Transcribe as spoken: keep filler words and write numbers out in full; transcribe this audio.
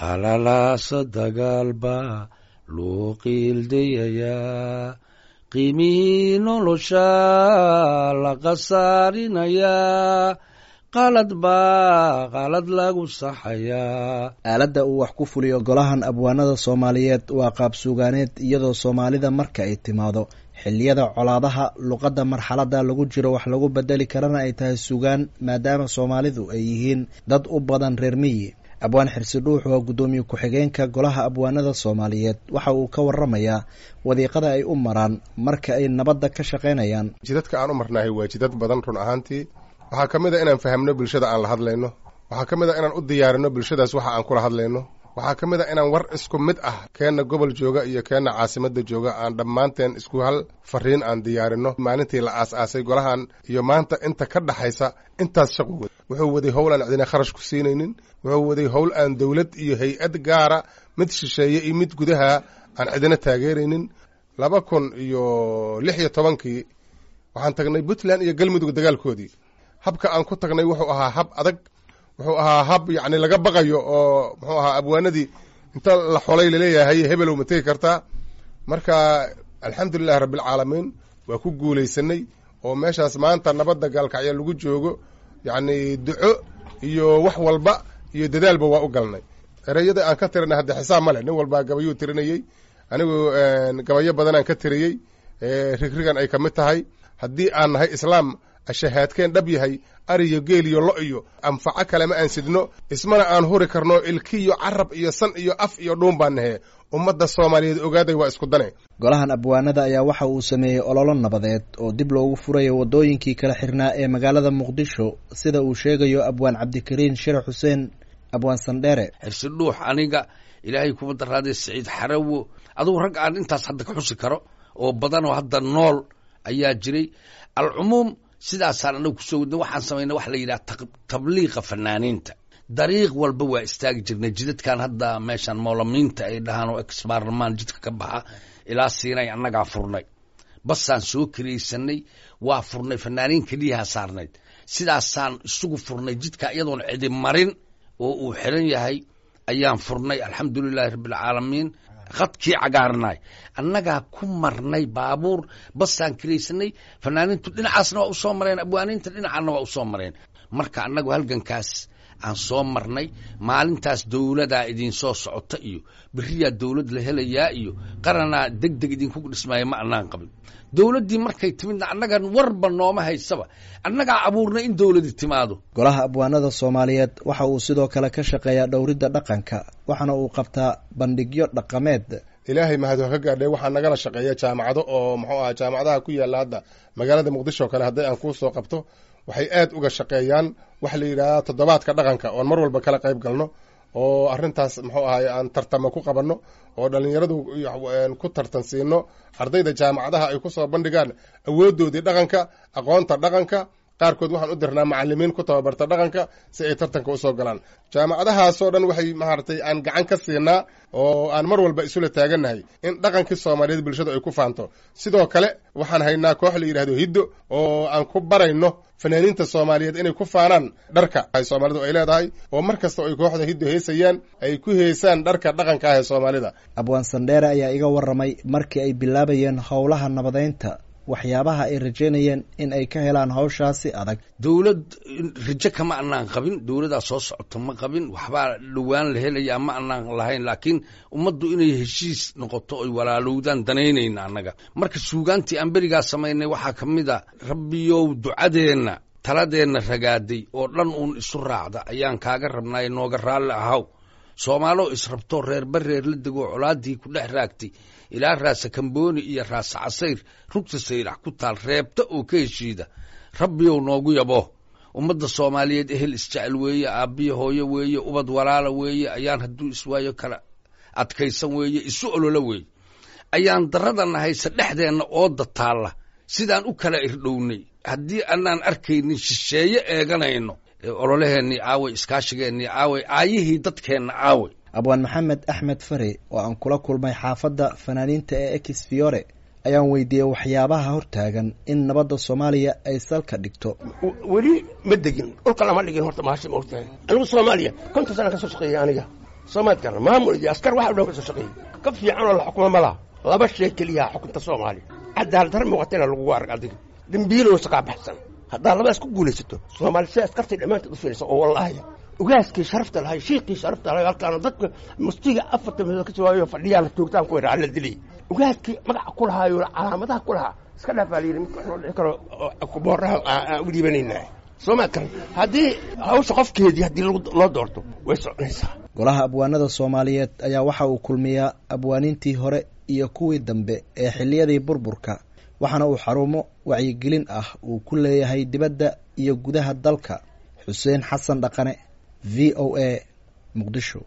Qalalaasa dagaalba loo qiildayayaa, qiimihii nolosha la khasaarinayaa, qalad baa qalad lagu saxayaa. Aaladda uu wax ku fuliyo golahan abwaanada Soomaaliyeed waa qaab suugaaneed, iyadoo Soomaalida marka ay timaado xilliyada colaadaha luqadda marxaladda lagu jiro wax lagu bedeli karana ay tahay sugaan, maadaama Soomaalidu ay yihiin dad u badan reer miyi. Abwaan Xirsi Dhuux waa guddoomiye ku-xigeenka golaha abwaanada Soomaaliyeed. Waxa uu ka waramayaa wadiiqada ay u maraan marka ay nabadda ka shaqaynayaan. Jidadka aan u marnahay waa jidad badan run ahaantii. Waxaa ka mid a inaan fahamno bulshada aan la hadlayno. Waxaa ka mid a inaan u diyaarino bulshadaas waxa aan kula hadlayno. Waxaa ka mid a inaan war isku mid ah, keenna gobol jooga iyo keenna caasimadda jooga, aan dhammaanteen isku hal fariin aan diyaarino. Maalintii la aas-aasay golahan iyo maanta inta ka dhaxaysa intaas shaqu wad wuxuu waday howl aan cidina kharash ku siinaynin. Wuxuu waday howl aan dowlad iyo hay-ad gaara, mid shisheeye iyo mid gudaha, aan cidina taageeraynin. Laba kun iyo lix iyo tobankii waxaan tagnay Puntland iyo Galmudug dagaalkoodii. Habka aan ku tagnay wuxuu ahaa hab adag, wuxuu ahaa hab yacni laga baqayo, oo muxuu ahaa abwaanadii inta la xolay laleeyahay hebelow ma tegi kartaa. Marka alxamdulilahi rabbilcaalamiin waa ku guulaysanay, oo meeshaas maanta nabadda Gaalkacya lagu joogo yacni duco iyo wax walba iyo dadaalba waa u galnay. Ereyada aan ka tirinay hadda xisaab ma leh, nin walbaa gabayuu tirinayey. Anigu gabayo badanaan ka tiriyey, rigrigan ay ka mid tahay: haddii aan nahay islaam ashahaadkeen dhab yahay, ariyo geel iyo lo iyo anfaco kalema aan sidno, ismana aan huri karno, ilkiyo carab iyo san iyo af iyo dhuun baan nahe, ummadda Soomaaliyeed ogaaday waa isku dane. Golahan abwaanada ayaa waxa uu sameeyey ololo nabadeed oo dib loogu furayo waddooyinkii kala xirnaa ee magaalada Muqdisho, sida uu sheegayo Abwaan Cabdikariin Shire Xuseen, Abwaan Sandheere. Xirsi Dhuux, aniga, Ilaahay kuma daraaday, Siciid Xarawo, adugu rag aan intaas hadda ka xusi karo oo badan oo hadda nool ayaa jiray. Alcumuum sidaasaan anagu kusoo wadnay. Waxaan samaynay waxa la yidhaha tabliiqa fanaaniinta. Dariiq walba waa istaagi jirnay jidadkan hadda meeshan moolamiinta ay dhahaan oo ex baarlamaan jidka ka baxa ilaa Siinay annagaa furnay. Basaan soo kiraysanay, waa furnay, fanaaniin keliyaha saarnayd. Sidaasaan isugu furnay jidka, iyadoon cidi marin oo uu xiran yahay ayaan furnay, alxamdulilaahi rabbilcaalamiin. Khadkii cagaarnaay annagaa ku marnay baabuur basaan kiraysanay. Fanaaniintu dhinacaasna waa usoo mareen, abwaaniinta dhinacaana waa usoo mareen. Marka annagu halgankaas aan soo marnay, maalintaas dowladaa idinsoo socota iyo beriyaa dowlad la helayaa iyo qaranaa deg deg idinku dhismaayo ma annaan qabin. Dowladdii markay timidna annagan warba nooma haysaba, annagaa abuurnay in dowladi timaado. Golaha abwaanada Soomaaliyeed waxa uu sidoo kale ka shaqeeyaa dhowridda dhaqanka, waxaana uu qabtaa bandhigyo dhaqameed. Ilaahay mahad ha ka gaadhay, waxaa nagala shaqeeya jaamacado oo muxuu aha jaamacadaha ku yaalla hadda magaalada Muqdisho oo kale. Hadday aan kuu soo qabto, waxay aad uga shaqeeyaan waxa la yidhahdaa toddobaadka dhaqanka, oon mar walba kala qayb galno, oo arrintaas muxuu ahay aan tartamo ku qabanno, oo dhallinyaradu ku tartan siino, ardayda jaamacadaha ay ku soo bandhigaan awooddoodii dhaqanka, aqoonta dhaqanka. Qaarkood waxaan u dirnaa macalimiin ku tababarta dhaqanka si ay tartanka usoo galaan. Jaamacadahaasoo dhan waxay maaragtay aan gacan ka siinaa oo aan mar walba isula taagannahay in dhaqankii Soomaaliyeed bulshadu ay ku faanto. Sidoo kale waxaan haynaa koox la yidhahdo Hiddo, oo aan ku barayno fanaaniinta Soomaaliyeed inay ku faanaan dharka ay Soomaalidu ay leedahay, oo mar kasta ay kooxda Hiddo heesayaan ay ku heesaan dharka dhaqanka ah ee Soomaalida. Abwaan Sandheere ayaa iga waramay markii ay bilaabayeen howlaha nabadeynta waxyaabaha ay rajaynayeen in ay ka helaan hawshaasi adag. Dowlad rajo kama anaan qabin, dowladaa soo socota ma qabin, waxbaa dhowaan la helayaa ma anaan lahayn, laakiin ummaddu inay heshiis noqoto oy walaalowdaan danaynayna annaga. Marka suugaantii aan berigaa samaynay waxaa ka mid a: Rabbiyow ducadeenna taladeenna ragaaday oo dhan uun isu raacda ayaan kaaga rabnaaye, nooga raalli ahaw. Soomaaloo israbtoo reerba reer la degoo colaadii ku dhex raagtay ilaa Raasa Kambooni iyo Raasa Casayr rugta Saylax ku taal reebta oo ka heshiida, Rabbiyow noogu yabo. Ummadda Soomaaliyeed ehel isjecel weeye, aabbiyo hooyo weeye, ubad walaala weeye, ayaan hadduu iswaayo kala adkaysan weeye, isu olola weeye. Ayaan darradana haysa dhexdeenna ooda taalla sidaan u kala irdhownay haddii anaan arkaynin shisheeye eeganayno. Ololaheennii aaway? Iskaashigeennii aaway? Aayihii dadkeenna aaway? Abwaan Maxamed Axmed Fare oo aan kula kulmay xaafadda fanaaniinta ee Ex Fiore ayaan weydiiyey waxyaabaha hortaagan in nabadda Soomaaliya ay salka dhigto. Weli ma degin, dhulka lama dhigin horta mahasha ma ogtahay. Anigu Soomaaliya konton sana ka soo shaqeeyay aniga. Soomaad garan, maamul iyo askar waxa dhan ka soo shaqeeyey, ka fiican oo la xukumo ma laha. Laba shay keliyaha xukunta Soomaaliya: cadaalad dar muuqata inaa lagugu arag adiga dembiilow saqaa baxsan. Haddaa labadaas ku guulaysato, Soomaali sida askartay dhammaanteed u fiirsa oo wallaahi ugaaskii sharafta lahay, shiiqii sharafta lahay, halkaana dadka mustiga afarta meelood ka soo fadhiyaa la toogtaan ku yidhaa la dilay ugaaskii magaca ku lahaayo calaamadaha ku lahaa iska dhaafaa la yidhi, midka wax loo dhici karo booraha aan u dhiibanaynaa. Soo ma karan, haddii hawsha qofkeedii haddii loo doorto way soconaysaa. Golaha abwaanada Soomaaliyeed ayaa waxa uu kulmiyaa abwaaniintii hore iyo kuwii dambe ee xilliyadii burburka, waxaana uu xarumo wacyigelin ah uu ku leeyahay dibadda iyo gudaha dalka. Xuseen Xasan Dhaqane, V O A, Muqdisho.